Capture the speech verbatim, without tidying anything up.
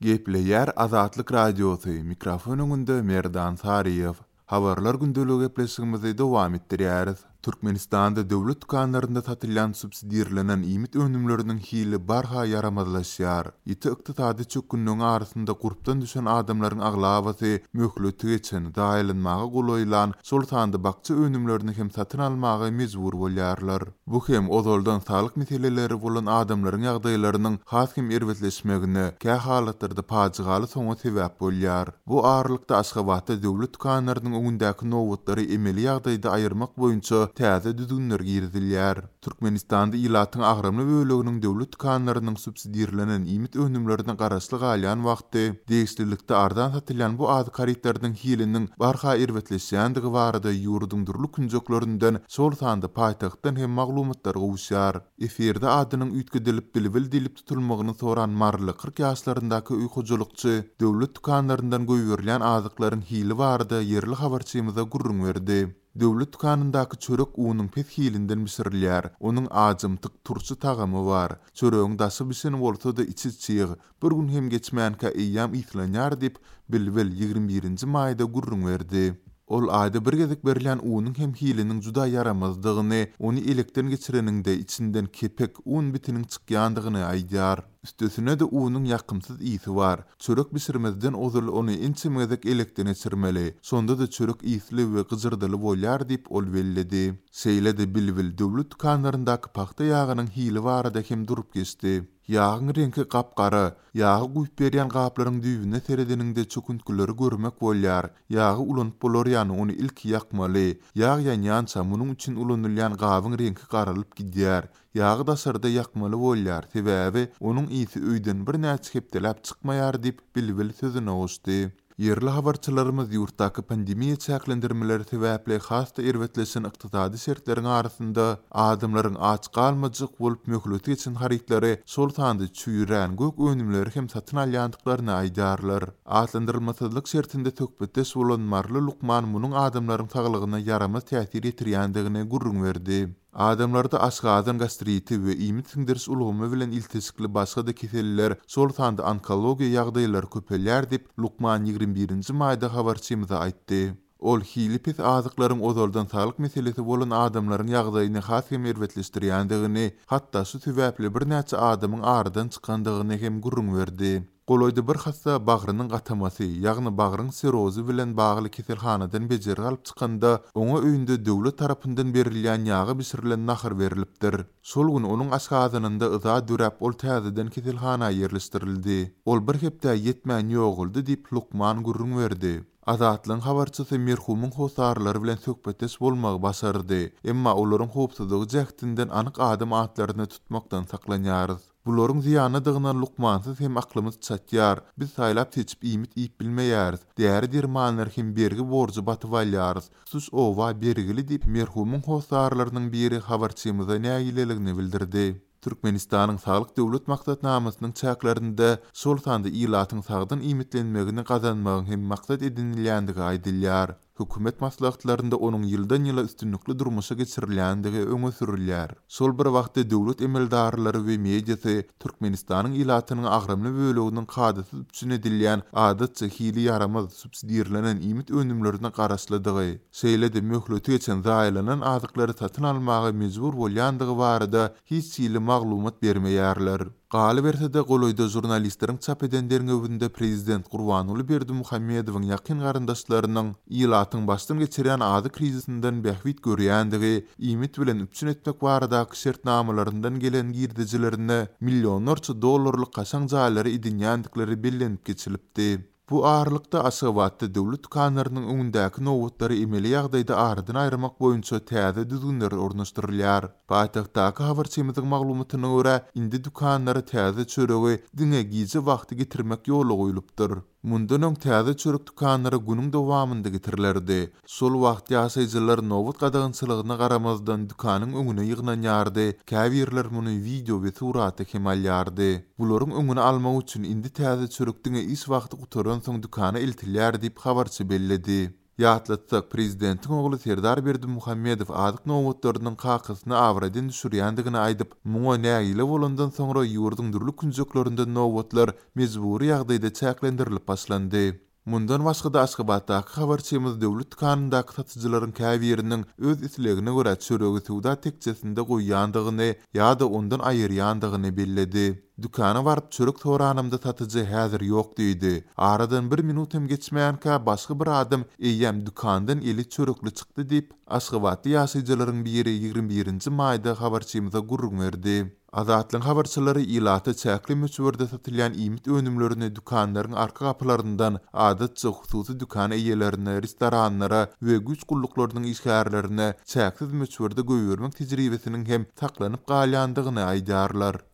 Gepleýär Azatlyk Radiosy, mikrofon öňünde Merdan Saryýew. Habarlar gündeligi gepleşigimizi dowam etdirýäris. Türkmenistanda döwlet dükanlarynda satylýan subsidirlenen iýmit önümleriniň hili barha ýaramazlaşýar. Ýiti ykdysady çökgünligiň arasynda gurpdan düşen adamlaryň aglabasy möhleti geçen, zaýalanmaga golaýlan, şol sanda bakja önümlerini hem satyn almaga mejbur bolýarlar. Bu hem ozaldan saglyk meseleleri bolan adamlaryň ýagdaýlarynyň has hem erbetleşmegine, kä halatlarda pajygaly soňa sebäp bolýar. Bu aralykda Aşgabatda döwlet dükanlarynyň öňündäki nobatlary emeli ýagdaýda aýyrmak boýunça täze düzgünler girizilýär. Türkmenistanda ilatyň agramly böleginiň döwlet dükanlarynyň subsidirlenen iýmit önümlerine garaşly galýan wagty degişlilikde arzan satylýan bu azyk harytlarynyň hiliniň barha erbetleşýändigi barada ýurduň dürli künjeklerinden, şol sanda paýtagtdan hem maglumatlar gowuşýar. Efirde adynyň üýtgedilip Bilbil diýlip tutulmagyny soran maryly kyrk ýaşlaryndaky öý hojalykçy döwlet dükanlaryndan goýberilýän azyklaryň hili barada ýerli habarçymyza gürrüň berdi. Döwlet dükanyndaky çörek unuň pes hilinden bişirilýär. Onuň ajymtyk turşy tagamy bar. Çöregiň daşy bişen bolsa-da içi çig. Bir gün hem geçmänkä eýýäm yslanýar diýip, Bilbil ýigrimi birinji maýda gürrüň berdi. Ol aýda bir gezek berilýän unuň hem hiliniň juda ýaramazdygyny, ony elekden geçireniňde içinden kepek, un bitiniň çykýandygyny aýdýar. Üstesine-de unuň ýakymsyz ysy bar. Çörek bişirmezden ozal ony ençeme gezek elekden geçirmeli. Şonda-da çörek ysly we gyjyrdyly bolýar diýip ol belledi. Şeýle-de Bilbil döwlet dükanlaryndaky pagta ýagynyň hili barada hem durup geçdi. Ýagyň reňki gap-gara. Ýagy guýup berýän gaplaryň düýbüne seredeniňde çöküntgileri görmek bolýar. Ýagy ulanyp bolar ýaly ony ilki ýakmaly. Ýag ýanýança munuň üçin ulanylýan gabyň reňki garalyp gidýär. Ýagy daşarda ýakmaly bolýar, sebäbi onuň ysy öýden birnäçe hepdeläp çykmaýar diýip Bilbil sözüne goşdy. Ýerli habarçylarymyz ýurtdaky pandemiýa çäklendirmeleri sebäpli has-da erbetleşen ykdysady şertleriň arasynda adamlaryň aç galmajak bolup möhleti geçen harytlary, şol sanda çüýrän gök önümleri hem satyn alýandyklaryny aýdýarlar. Atlandyrylmasyzlyk şertinde söhbetdeş bolan maryly lukman munuň adamlaryň saglygyna ýaramaz täsir ýetirýändigini gürrüň berdi. Adamlarda aşgazan gastriti we iýmit siňdiriş ulgamy bilen ilteşikli başga-da keseller, şol sanda onkologiýa ýagdaýlary köpelýär diýip, lukman ýigrimi birinji maýda habarçymyza aýtdy. Ol hili pes azyklaryň ozaldan saglyk meselesi bolan adamlaryň ýagdaýyny has hem erbetleşdirýändigini, hatda şu sebäpli birnäçe adamyň aradan çykandygyny hem gürrüň berdi. Golaýda bir hassa bagrynyň gatamasy, ýagny bagryň sirozy bilen bagly keselhanadan bejergi alyp çykanda, oňa öýünde döwlet tarapyndan berilýän ýaga bişirilen nahar berilipdir. Şol gün onuň aşgazanynda yza döräp, ol täzeden keselhana ýerleşdirildi. Ol bir hepdä ýetmän ýogaldy diýip, lukman gürrüň berdi. Azatlygyň habarçysy merhumyň hossarlary bilen söhbetdeş bolmagy başardy. Emma olaryň howpsuzlygy jähtinden anyk adam atlaryny tutmakdan saklanýarys. Bularyň zyýanlydygyna lukmansyz hem aklymyz çatýar. Biz saýlap seçip iýmit iýip bilmeýäris. Däri dermanlar hem bergi borjy batyp alýarys. Tutuş oba bergili diýip, merhumyň hossarlarynyň biri habarçymyza nägileligini bildirdi. Türkmenistanyň Saglyk döwlet maksatnamasynyň çäklerinde şol sanda ilatyň sagdyn iýmitlenmegini gazanmagyň hem maksat edinilýändigi aýdylýar. Hökümet maslahatlarynda onuň ýyldan ýyla üstünlikli durmuşa geçirilýändigi öňe sürülýär. Şol bir wagtda döwlet emeldarlary we mediasy Türkmenistanyň ilatynyň agramly böleginiň kadasyz üpjün edilýän adatça hili ýaramaz subsidirlenen iýmit önümlerine garaşlydygy, şeýle-de möhleti geçen zaýalanan azyklary satyn almaga mejbur bolýandygy barada hiç hili maglumat bermeýärler. Galyberse-de golaýda žurnalistleriň çap eden derňewinde prezident Gurbanguly Berdimuhamedowyň ýakyn garyndaşlarynyň ilatyň başdan geçirýän azyk krizisinden bähbit görýändigi, iýmit bilen üpjün etmek baradaky şertnamalaryndan gelen girdejilerine millionlarça dollarlyk kaşaň jaýlary edinýändikleri bellenip geçilipdi. Bu aralykda Aşgabatda döwlet dükanlarynyň öňündäki nobatlary emeli ýagdaýda aradan aýyrmak boýunça täze düzgünler ornaşdyrylýar. Paýtagtdaky habarçymyzyň maglumatyna görä, indi dükanlara täze çöregi diňe gije wagty getirmek ýola goýlupdyr. Mundan öň täze çörek dükanlara günüň dowamynda getirilerdi. Şol wagt ýaşaýjylar nobat gadagançylygyna garamazdan dükanyň öňüne ýygnanýardy. Käbirler muny wideo we surata hem alýardy. Bularyň öňüni almak üçin indi täze çörek diňe iş wagty gutaransoň dükana eltilýär diýip habarçy belledi. Ýatlatsak, prezidentiň ogly Serdar Berdimuhamedow azyk nobatlarynyň kakasyny abraýdan düşürýändigini aýdyp, muňa nägile bolandan soňra ýurduň dürli künjeklerinde nobatlar mejbury ýagdaýda çäklendirilip başlandy. Mundan başga-da Aşgabatdaky habarçymyz döwlet dükanyndaky satyjylaryň käbiriniň öz islegine görä çöregi söwda tekjesinde goýýandygyny ýa-da ondan aýyrýandygyny belledi. Dükana baryp çörek soranymda satyjy häzir ýok diýdi. Aradan bir minut hem geçmänkä başga bir adam eýýäm dükandan eli çörekli çykdy diýip, aşgabatly ýaşaýjylaryň biri ýigrimi birinji maýda habarçymyza gürrüň berdi. Azatlygyň habarçylary ilata çäkli möçberde satylýan iýmit önümlerini dükanlaryň arka gapylaryndan, adatça hususy dükan eýelerine, restoranlara we güýç gulluklarynyň işgärlerine çäksiz möçberde goýbermek tejribesiniň hem saklanyp galýandygyny aýdýarlar.